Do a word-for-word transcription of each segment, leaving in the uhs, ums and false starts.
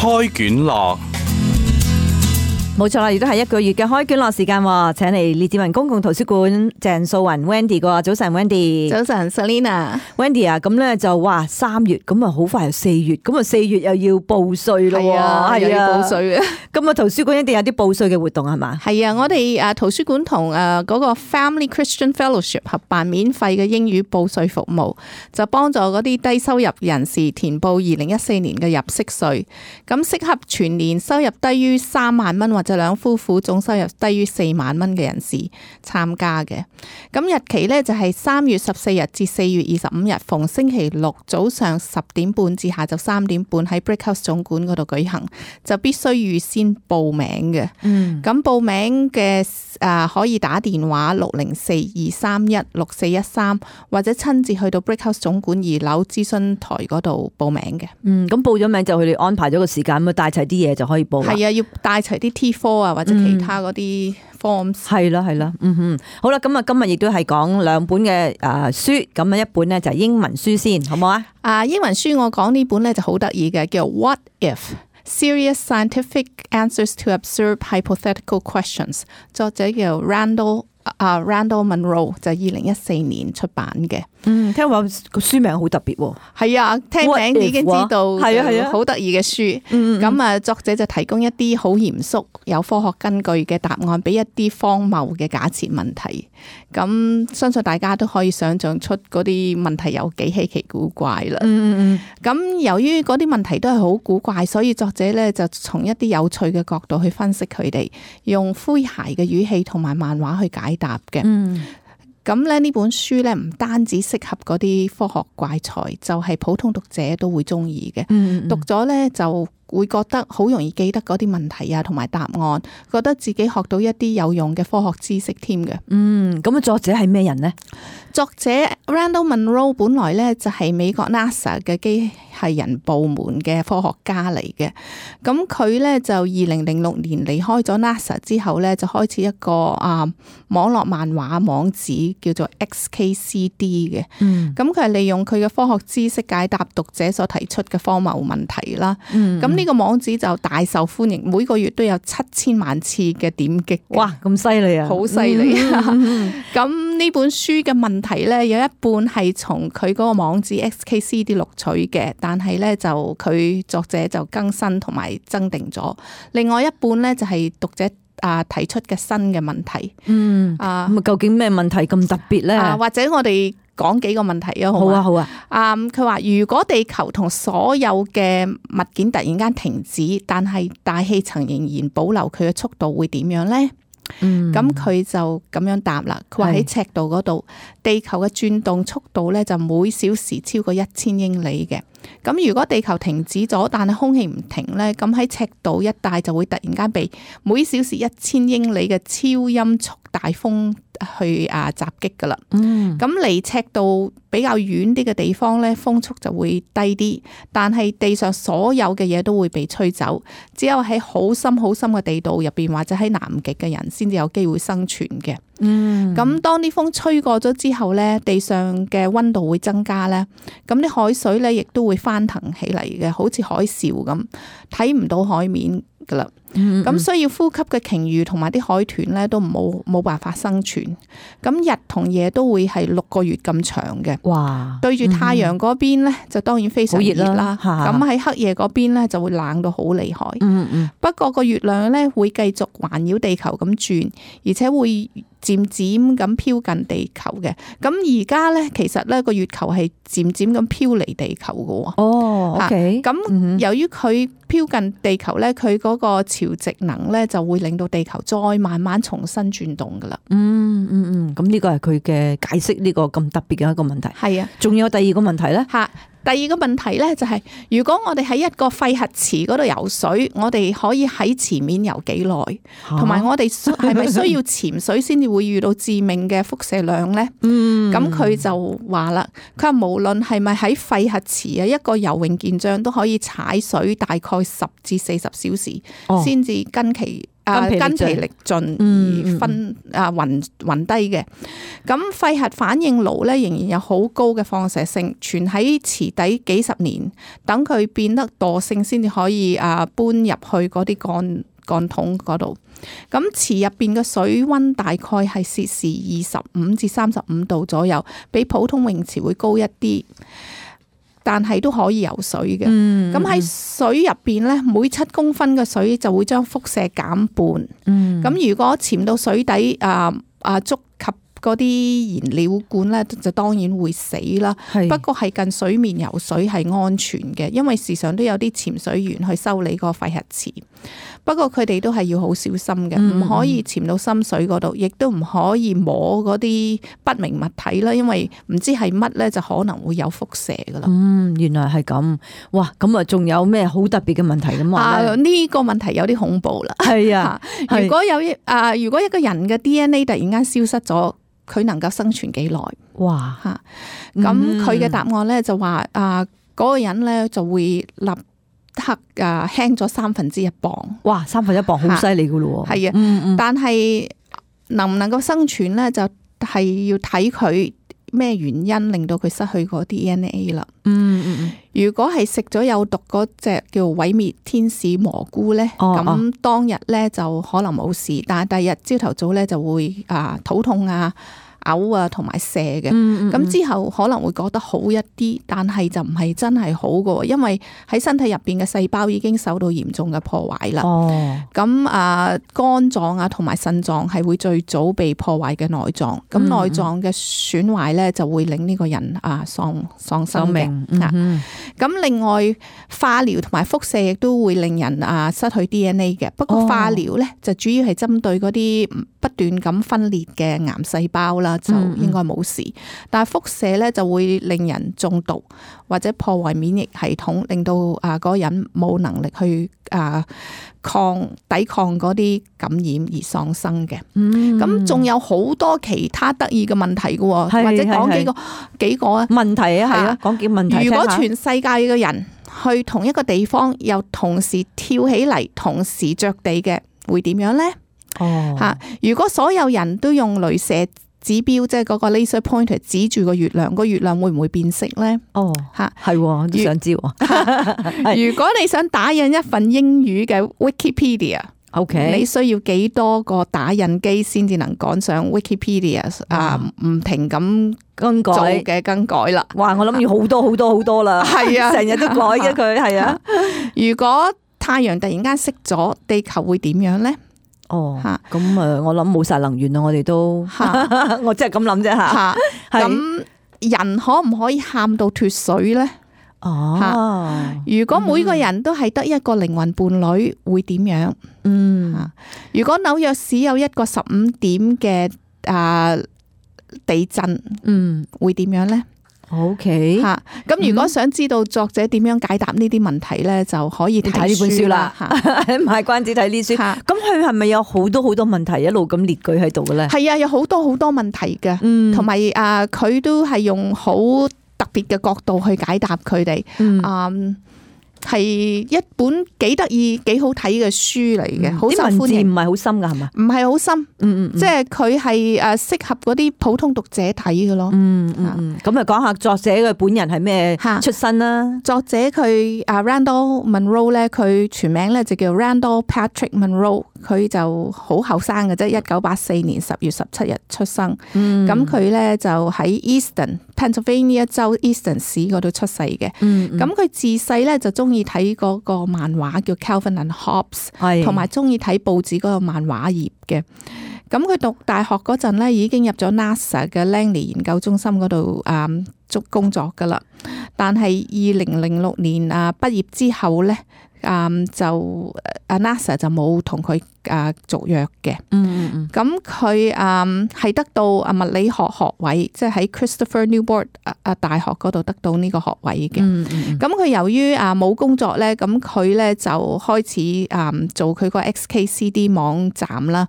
開卷樂。冇錯啦，亦都係一個月嘅開卷樂時間，請嚟列治文公共圖書館鄭素雲 Wendy 個早晨 Wendy， 早晨 Selina Wendy 啊，咁咧就哇三月咁啊好快又四月，咁啊四月又要報稅咯，係啊，係啊，報稅啊，咁啊圖書館一定有啲報稅嘅活動係嘛？係啊，我哋誒圖書館同誒嗰個 Family Christian Fellowship 合辦免費嘅英語報稅服務，就幫助嗰啲低收入人士填報二零一四年嘅入息稅，咁適合全年收入低於三萬蚊或就兩夫婦總收入低於四萬蚊嘅人士參加嘅，咁日期呢，就係三月十四日至四月二十五日，逢星期六早上十點半至下晝三點半喺 Brickhouse 總館嗰度舉行，就必須預先報名嘅。嗯，咁報名嘅誒可以打電話六零四二三一六四一三，或者親自去到 Brickhouse 總館二樓諮詢台嗰度報名嘅。嗯，咁報咗名就佢哋安排咗個時間，咁帶齊啲嘢就可以報啦。係啊，要帶齊啲 T 科啊，或者其他嗰啲 forms。係啦係啦，嗯哼，好啦，咁啊今日亦都係講兩本嘅誒書，咁啊一本咧就係英文書先，好唔好啊？啊，英文書我講呢本咧就好得意嘅，叫 What If? Serious Scientific Answers to Absurd Hypothetical Questions， 作者叫 Randall 啊 Randall Munroe， 就係二零一四年出版嘅。嗯，聽話個書名好特別喎。係啊，聽名已經知道係啊係啊，好得意嘅書。咁啊，作者就提供一啲好嚴肅、有科學根據嘅答案，俾一啲荒謬嘅假設問題。咁相信大家都可以想象出嗰啲問題有幾稀奇古怪啦。嗯嗯咁由於嗰啲問題都係好古怪，所以作者咧就從一啲有趣嘅角度去分析佢哋，用詼諧嘅語氣同埋漫畫去解答嘅。嗯。咁咧呢本書咧唔單止適合嗰啲科學怪才，就係普通讀者都會中意嘅。嗯嗯讀咗咧就會覺得好容易記得嗰啲問題啊，同埋答案，覺得自己學到一啲有用嘅科學知識添嘅。嗯，咁啊作者係咩人呢？作者 Randall Munroe 本來咧就係美國 NASA 嘅機械人部門嘅科學家嚟嘅。咁佢咧就二零零六年離開咗 NASA 之後咧，就開始一個啊網絡漫畫網址叫做 X K C D 嘅。嗯，咁佢係利用佢嘅科學知識解答讀者所提出嘅荒謬問題啦。嗯，咁呢個網址就大受歡迎，每個月都有七千萬次嘅點擊。哇，咁犀利啊！好犀利啊！咁呢本書嘅問題咧，有一半係從佢嗰個網址 X K C D 錄取嘅，但係咧就佢作者就更新同埋增訂咗。另外一半咧就係讀者啊提出嘅新嘅問題。嗯啊，咁究竟咩問題咁特別咧？啊，或者我哋講幾個問題啊，好啊，好啊。啊，佢話如果地球同所有嘅物件突然間停止，但係大氣層仍然保留佢嘅速度，會點樣咧？嗯，咁佢就咁樣答啦。佢話喺赤道嗰度，地球嘅轉動速度咧就每小時超過一千英里嘅。咁如果地球停止咗，但係空氣唔停咧，咁喺赤道一帶就會突然間被每小時一千英里嘅超音速大風去啊襲擊噶啦。嗯，咁離赤道比較遠啲嘅地方咧，風速就會低啲，但係地上所有嘅嘢都會被吹走，只有喺好深好深嘅地道入邊或者喺南極嘅人先至有機會生存嘅。嗯，咁當啲風吹過咗之後咧，地上嘅溫度會增加咧，咁啲海水咧亦都會翻騰起嚟嘅，好似海嘯咁，睇唔到海面噶啦。咁需要呼吸嘅鯨魚同埋啲海豚咧都冇冇辦法生存。咁日同夜都會係六個月咁長嘅。哇！對住太陽嗰邊咧就當然非常熱啦。咁喺黑夜嗰邊咧就會冷到好厲害。嗯嗯。不過個月亮咧會繼續環繞地球咁轉，而且會漸漸咁飄近地球嘅。咁而家咧其實咧個月球係漸漸咁飄離地球嘅。哦 ，OK。咁由於佢飄近地球咧，佢嗰個潮汐能咧就會令到地球再慢慢重新轉動噶啦。嗯嗯嗯，咁呢個係佢嘅解釋呢個咁特別嘅一個問題。係啊，仲有第二個問題咧？吓，第二個問題咧就係、是，如果我哋喺一個廢核池嗰度游水，我哋可以喺池面游幾耐？同埋我哋係咪需要潛水先至會遇到致命嘅輻射量咧？嗯，咁佢就話啦，佢話無論係咪喺廢核池啊，一個游泳健將都可以踩水大概十至四十小時，先至、哦、跟其啊筋疲力盡而昏啊暈暈低嘅。咁肺核反應爐咧仍然有好高嘅放射性，存喺池底幾十年，等佢變得惰性先至可以啊搬入去嗰啲鋼鋼筒嗰度。咁池入邊嘅水溫大概係攝氏二十五至三十五度左右，比普通泳池會高一啲。但係都可以游水嘅。咁喺、嗯、水入邊咧，每七公分嘅水就會將輻射減半。咁、嗯、如果潛到水底啊啊觸及嗰啲燃料管咧，就當然會死啦。是不過係近水面游水係安全嘅，因為時常都有啲潛水員去修理個廢核池。不過佢哋都係要好小心嘅，唔、嗯、可以潛到深水嗰度，亦都唔可以摸嗰啲不明物體啦，因為唔知係乜咧，就可能會有輻射噶啦。嗯，原來係咁。哇，咁啊，仲有咩好特別嘅問題咁話咧？呢、這個問題有啲恐怖啦。係啊，如果有啊，如果一個人嘅 D N A 突然間消失咗，佢能夠生存幾耐？哇！吓、嗯，咁佢嘅答案咧就話啊，嗰、那個人咧就會立刻啊輕咗三分之一磅。哇，三分一磅好犀利噶咯。係啊，嗯嗯，但係能唔能夠生存咧，就係要睇佢咩原因令到佢失去個 D N A 啦。嗯嗯嗯。如果係食咗有毒嗰隻叫毀滅天使蘑菇咧，咁、哦、當日咧就可能冇事，但係第二日朝頭早咧就會啊肚痛啊、嘔啊同埋瀉嘅。咁、嗯嗯、之後可能會覺得好一啲，但係就唔係真係好嘅，因為喺身體入邊嘅細胞已經受到嚴重嘅破壞啦。咁、哦、啊肝臟啊同埋腎臟係會最早被破壞嘅內臟，咁內臟嘅損壞咧就會令呢個人啊喪喪生嘅。咁、嗯、另外化療同埋輻射亦都會令人啊失去 D N A 嘅。不過化療咧就主要係針對嗰啲不斷咁分裂嘅癌細胞啦，就應該冇事。嗯嗯，但係輻射咧就會令人中毒或者破壞免疫系統，令到啊嗰個人冇能力去啊抗抵抗嗰啲感染而喪生嘅。咁仲、嗯、有好多其他得意嘅問題嘅，或者講幾個幾個啊問題啊，係啊，講幾個問題。如果全世界嘅人去同一個地方，又同時跳起嚟，同時着地嘅，會點樣咧？哦，吓！如果所有人都用鐳射指標，即係嗰個 laser pointer 指住個月亮，個月亮會唔會變色咧？哦，吓，係，我都想知。如果你想打印一份英語嘅 Wikipedia，OK， 你需要幾多個打印機先至能趕上 Wikipedia 啊？唔停咁更改嘅更改啦。哇！我諗要好多好多好多啦。係啊，成日都改嘅佢。係啊。如果太陽突然間熄咗，地球會點樣咧？哦，咁誒，我諗冇晒能源啦，我哋都，我真係咁諗啫吓。咁人可唔可以喊到脫水咧？哦，如果每個人都係得一個靈魂伴侶，會點樣？嗯，如果紐約市有一個十五點嘅啊地震，嗯，會點樣咧？OK，吓，咁如果想知道作者點樣解答呢啲問題咧，就可以睇呢本書啦。賣關子睇呢書，咁佢係咪有好多好多問題一路咁列舉喺度嘅咧？係啊，有好多好多問題嘅，同埋啊，佢都係用好特別嘅角度去解答佢哋。嗯。係一本幾得意、幾好睇嘅書嚟嘅，好受歡迎。啲文字唔係好深噶，係嘛？唔係好深，嗯嗯，即係佢係誒適合嗰啲普通讀者睇嘅咯。嗯嗯，咁啊講下作者嘅本人係咩出身啦？作者佢啊 Randall Munroe 咧，佢全名咧就叫 Randall Patrick Munroe， 佢就好後生嘅啫，一九八四年十月十七日出生。咁佢咧就喺 Easton Pennsylvania 州 Easton 市嗰度出世嘅。咁佢自細咧就中意睇嗰個漫畫叫 Calvin and Hobbes， 同埋中意睇報紙嗰個漫畫頁嘅。咁佢讀大學嗰陣咧，已經入咗 NASA 嘅 Langley 研究中心嗰度誒做工作噶啦。但係二零零六年啊畢業之後咧，誒就啊 NASA 就冇同佢誒續約嘅。嗯嗯，咁佢誒係得到啊物理學學位，即係喺 Christopher Newport 啊大學嗰度得到呢個學位嘅。嗯嗯，咁佢由於啊冇工作咧，咁佢咧就開始誒做佢個 X K C D 網站啦。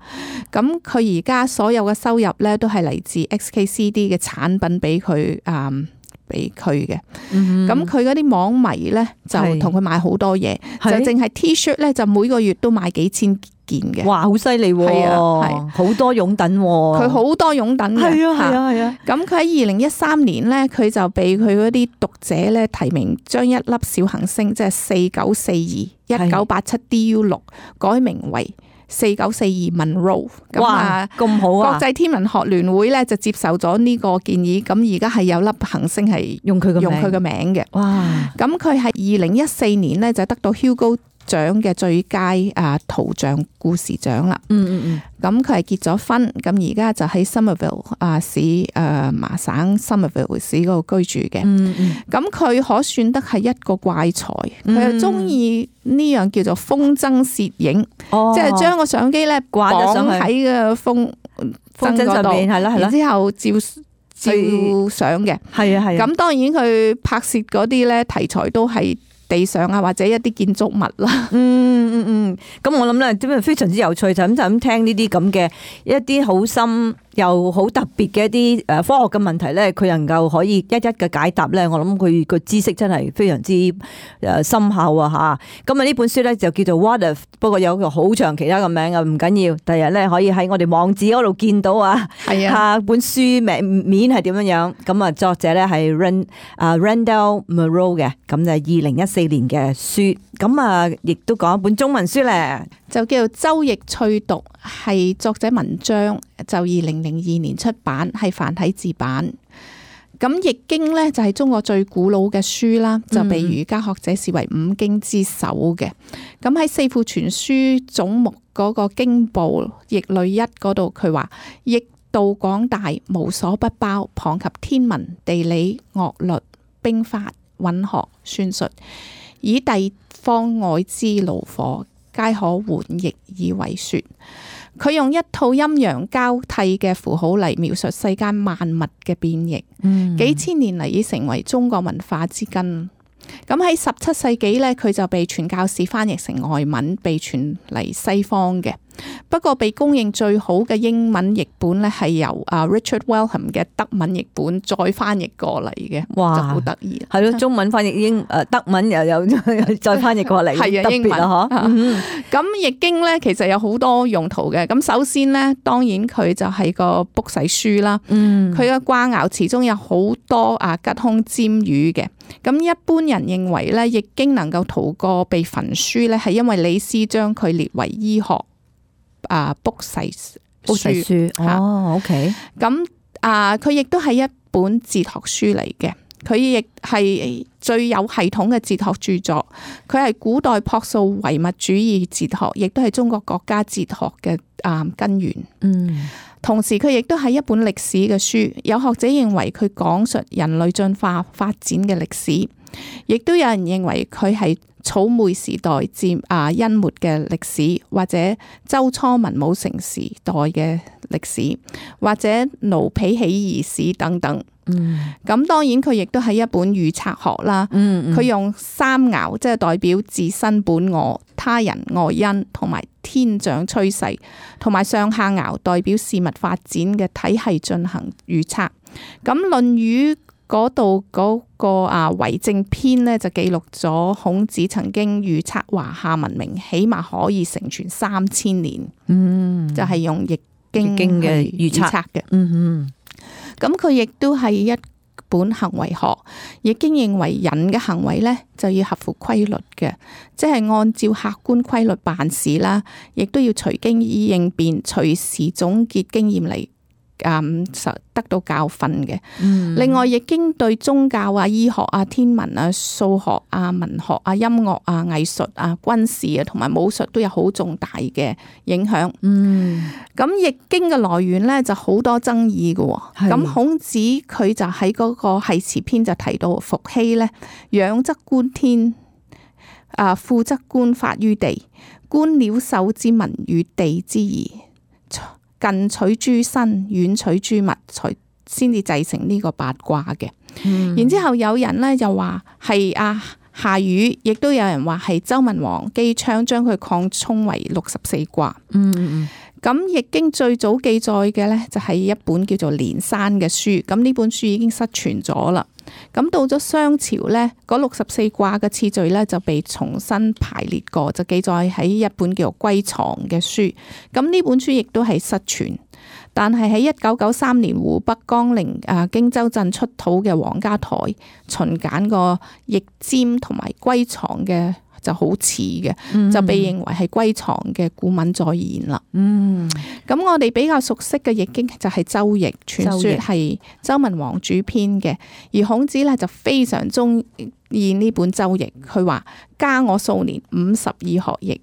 咁佢而家所有嘅收入咧都係嚟自 X K C D 嘅產品俾佢誒俾佢嘅。咁佢嗰啲網迷咧就同佢買好多嘢，就淨係 T-shirt 咧就每個月都買幾千件嘅。哇，好犀利喎！係啊，係好多擁躉，佢好多擁躉嘅。係啊，係啊，係啊。咁佢喺二零一三年咧，佢就被佢嗰啲讀者咧提名，將一粒小行星即係四九四二一九八七 D U 六改名為四九四二 Monroe。哇，咁好啊！國際天文學聯會咧就接受咗呢個建議，咁而家係有粒行星係用佢個用佢嘅名嘅。哇！咁佢係二零一四年咧就得到 Hugo獎嘅最佳啊圖像故事獎啦。嗯嗯嗯。咁佢係結咗婚，咁而家就喺 Somerville 啊市誒麻省 Somerville 市嗰度居住嘅。嗯嗯。咁佢可算得係一個怪才，佢又中意呢樣叫做風箏攝影，哦、即係將個相機咧掛咗上去喺個風風箏上面，係啦係啦，然之後照照相嘅。係啊係啊。咁當然佢拍攝嗰啲咧題材都係地上啊，或者一啲建築物啦。嗯嗯嗯，咁我諗咧，點解非常之有趣，就咁就咁聽呢啲咁嘅一啲好深又好特別嘅一啲誒科學嘅問題咧，佢能夠可以一一嘅解答咧，我諗佢個知識真係非常之誒深厚啊吓。咁啊呢本書咧就叫做 What If， 不過有個好長其他嘅名啊，唔緊要，第日咧可以喺我哋網址嗰度見到啊。係啊，本書名面係點樣樣？咁啊作者咧係 Rand 啊 Randall Munroe 嘅，咁就係二零一四年嘅書。咁啊亦都講一本中文書咧，就叫做《周易趣讀》，係作者文章，就二零零二年出版，係繁體字版。咁《易經》呢，就係中國最古老嘅書啦，就被儒家學者視為五經之首嘅。咁喺四庫全書總目嗰個經部易類一嗰度，佢話易道廣大，無所不包，傍及天文、地理、樂律、兵法、韻學、算術，以地方外之爐火，皆可換易以為說。佢用一套陰陽交替嘅符號嚟描述世間萬物嘅變易，嗯、幾千年嚟已成為中國文化之根。咁喺十七世紀呢，佢就被傳教士翻譯成外文，被傳嚟西方嘅。不過被公認最好嘅英文譯本呢，係由啊 Richard Wellham 嘅德文譯本再翻譯過嚟嘅。哇，就好得意。係咯，中文翻譯英誒德文又有再翻譯過嚟，係啊，英文啊，嗬。咁易經呢，其實有好多用途嘅。咁首先呢，當然佢就係個卜筮書啦。嗯，佢嘅卦爻詞中有好多啊吉凶占語嘅。咁一般人認為咧，易經能夠逃過被焚書咧，係因為李斯將佢列為醫學啊卜筮卜筮書。哦 ，OK。咁啊，佢亦都係一本哲學書嚟嘅，佢亦係最有系統嘅哲學著作。佢係古代樸素唯物主義哲學，亦都係中國國家哲學嘅啊根源。嗯。同時佢亦都係一本歷史嘅書，有學者認為佢講述人類進化發展嘅歷史，亦都有人認為佢係草昧時代至啊殷末嘅歷史，或者周初文武成時代嘅歷史，或者奴婢起義史等等。嗯，咁當然佢亦都係一本預測學啦。嗯，佢用三爻，即係代表自身本我、他人外因同埋天象趨勢，同埋上下爻代表事物發展嘅體系進行預測。咁《論語》嗰度嗰個啊為政篇呢，就記錄咗孔子曾經預測華夏文明起碼可以成傳三千年。嗯，就係用易經嘅預測嘅。嗯嗯。咁佢亦都係一本行為學，易經認為人嘅行為呢就要合乎規律嘅，即係按照客觀規律辦事啦，亦都要隨機應變，隨時總結經驗嚟嗯得到教訓嘅。嗯、另外，易經對宗教啊、醫學啊、天文啊、數學啊、文學啊、音樂啊、藝術啊、軍事啊同埋武術都有好重大嘅影響。嗯，咁易經嘅來源咧就好多爭議嘅。咁是孔子佢就喺嗰個繫辭篇就提到伏羲咧，仰則觀天，啊俯則觀法於地，觀鳥獸之文與地之宜。近取諸身，遠取諸物，才先至製成呢個八卦嘅。嗯、然之後有人咧就話係啊夏禹，亦都有人話係周文王姬昌將佢擴充為六十四卦。嗯嗯咁《易經》最早記載嘅咧就係一本叫做《連山》嘅書，咁呢本書已經失傳咗啦。咁到咗商朝咧，嗰六十四卦嘅次序咧就被重新排列過，就記載喺一本叫做《歸藏》嘅書。咁呢本書亦都係失傳。但係喺一九九三年湖北江陵啊荊州鎮出土嘅黃家台秦簡個易占同埋歸藏嘅就好似嘅，嗯、就被認為係歸藏嘅古文再現啦。嗯，咁我哋比較熟悉嘅易經就係周易，傳說係周文王主編嘅，而孔子咧就非常中意呢本周易，佢話加我數年五十以學易，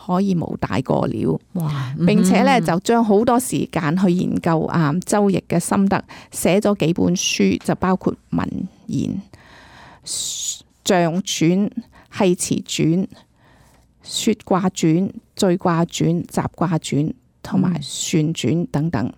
可以無大過了。哇！並且咧就將好多時間去研究啊周易嘅心得，寫咗幾本書，就包括文言、象傳、繫辭傳、說卦傳、序卦傳、雜卦傳同埋算傳等等。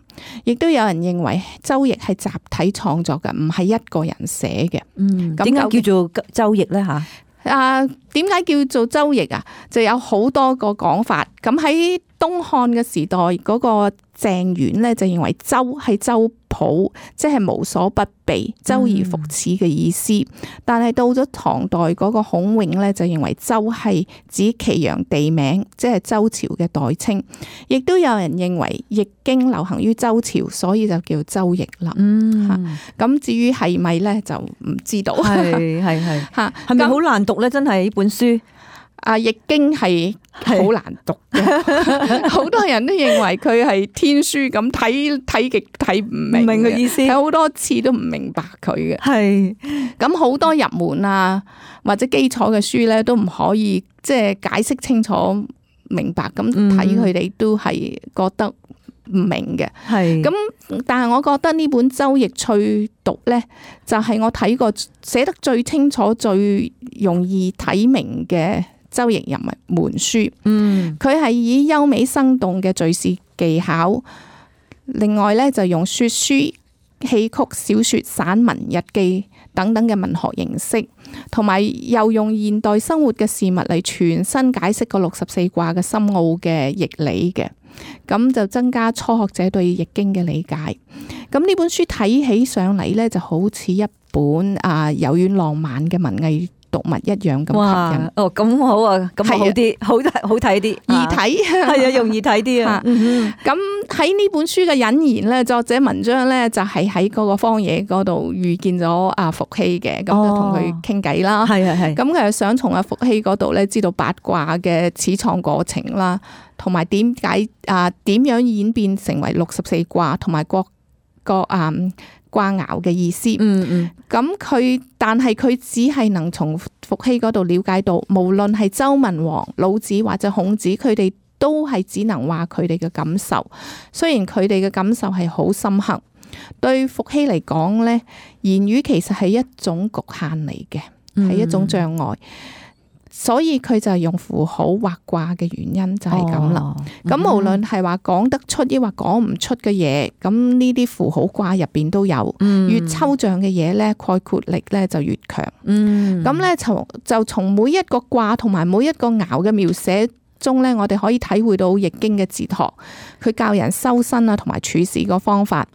亦都有人認為周易係集體創作嘅，唔係一個人寫嘅。嗯，點解叫做周易咧？吓？啊，點解叫做周易啊？就有好多個講法。咁喺東漢嘅時代，嗰、那個鄭玄咧就認為周係周普，即係無所不備、周而復始嘅意思。嗯、但係到咗唐代嗰個孔永咧就認為周係指祁陽地名，即係周朝嘅代稱。亦都有人認為易經流行於周朝，所以就叫周易啦。嗯，咁至於係咪咧就唔知道。係係係吓，係咪好難讀咧？真係呢本書。啊！易經係好難讀嘅，好多人都認為佢係天書咁，睇睇極睇唔明嘅意思，睇好多次都唔明白佢嘅。係咁好多入門啊或者基礎嘅書咧，都唔可以即係解釋清楚明白，咁睇佢哋都係覺得唔明嘅。係咁，但係我覺得呢本周易趣讀咧，就係我睇過寫得最清楚、最容易睇明嘅周易入門書。嗯，佢係以優美生動嘅敘事技巧，另外咧就用說書、戲曲、小說、散文、日記等等嘅文學形式，同埋又用現代生活嘅事物嚟全新解釋個六十四卦嘅深奧嘅易理嘅，咁就增加初學者對易經嘅理解。咁呢本書睇起上嚟咧，就好似一本啊柔軟浪漫嘅文藝讀物一樣咁吸引。哦，咁好啊，咁好啲，好好睇啲，易睇係啊，容易睇啲啊。咁喺呢本書嘅引言咧，作者文章咧就係喺嗰個荒野嗰度遇見咗阿伏羲嘅，咁就同佢傾偈啦。係係係。咁佢係想從阿伏羲嗰度咧知道八卦嘅始創過程啦，同埋點解啊點樣演變成為六十四卦，同埋各個啊卦爻嘅意思。嗯嗯。咁佢，但係佢只係能從伏羲嗰度了解到，無論係周文王、老子或者孔子，佢哋都係只能話佢哋嘅感受。雖然佢哋嘅感受係好深刻，對伏羲嚟講咧，言語其實係一種局限嚟嘅，係、嗯、一種障礙。所以佢就係用符號畫卦嘅原因就係咁啦。咁、哦、無論係話講得出抑或講唔出嘅嘢，咁呢啲符號卦入邊都有。嗯、越抽象嘅嘢咧，概括力咧就越強。咁咧就就從每一個卦同埋每一個爻嘅描寫中咧，我哋可以體會到易經嘅哲學。佢教人修身啊，同埋處事個方法。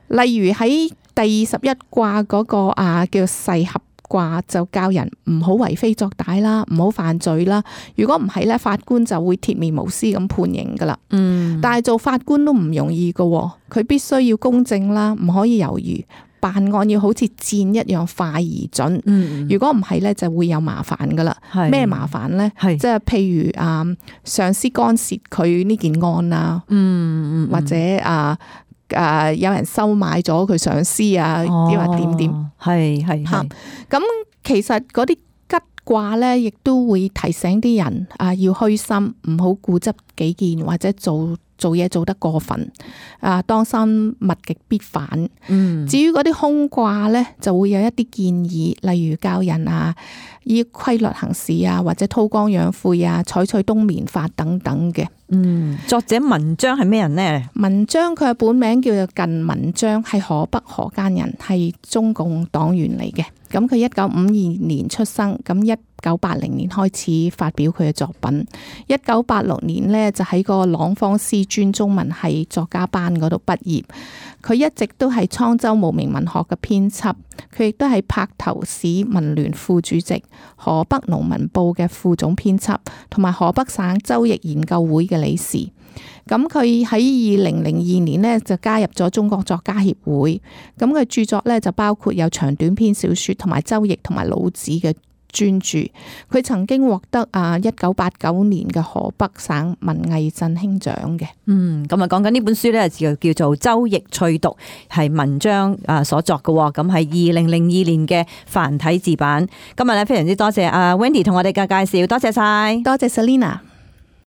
例如喺第二十一卦嗰個啊叫誓合卦，就教人唔好為非作歹啦，唔好犯罪啦。如果唔係咧，法官就會鐵面無私咁判刑噶啦。嗯，但係做法官都唔容易噶，佢必須要公正啦，唔可以猶豫，辦案要好似箭一樣快而準。嗯，如果唔係咧，就會有麻煩噶啦。咩麻煩咧？係即係譬如啊，上司干涉佢呢件案啊，嗯，或者啊。誒、呃，有人收買咗佢上司啊，抑或點點，係係吓。咁其實嗰啲吉卦咧，亦都會提醒啲人啊，要虛心，唔好固執己見，或者做做嘢做得過分。啊，當心物極必反。嗯。至於嗰啲空卦咧，就會有一啲建議，例如教人啊，依規律行事啊，或者韜光養晦啊，採取冬眠法等等嘅。嗯，作者文章係咩人呢？文章佢嘅本名叫做靳文章，係河北河間人，係中共黨員嚟嘅。咁佢一九五二年出生，咁一九八零年開始發表佢嘅作品。一九八六年呢，就喺個朗芳師專中文系作家班嗰度畢業。佢一直都係滄州無名文學嘅編輯，佢亦都係柏頭市文聯副主席、河北農民報嘅副總編輯，同埋河北省周易研究會嘅理事。咁佢喺二零零二年呢，就加入咗中國作家協會。咁佢著作呢，就包括有長短篇小說同埋周易同埋老子嘅專著。佢曾經獲得啊一九八九年嘅河北省文藝振興獎嘅。嗯，咁啊講緊呢本書咧就叫做《周易趣讀》，係文章啊所作嘅，咁係二零零二年嘅繁體字版。今日咧非常之多謝阿 Wendy 同我哋嘅介紹，多謝晒，多謝 Selina。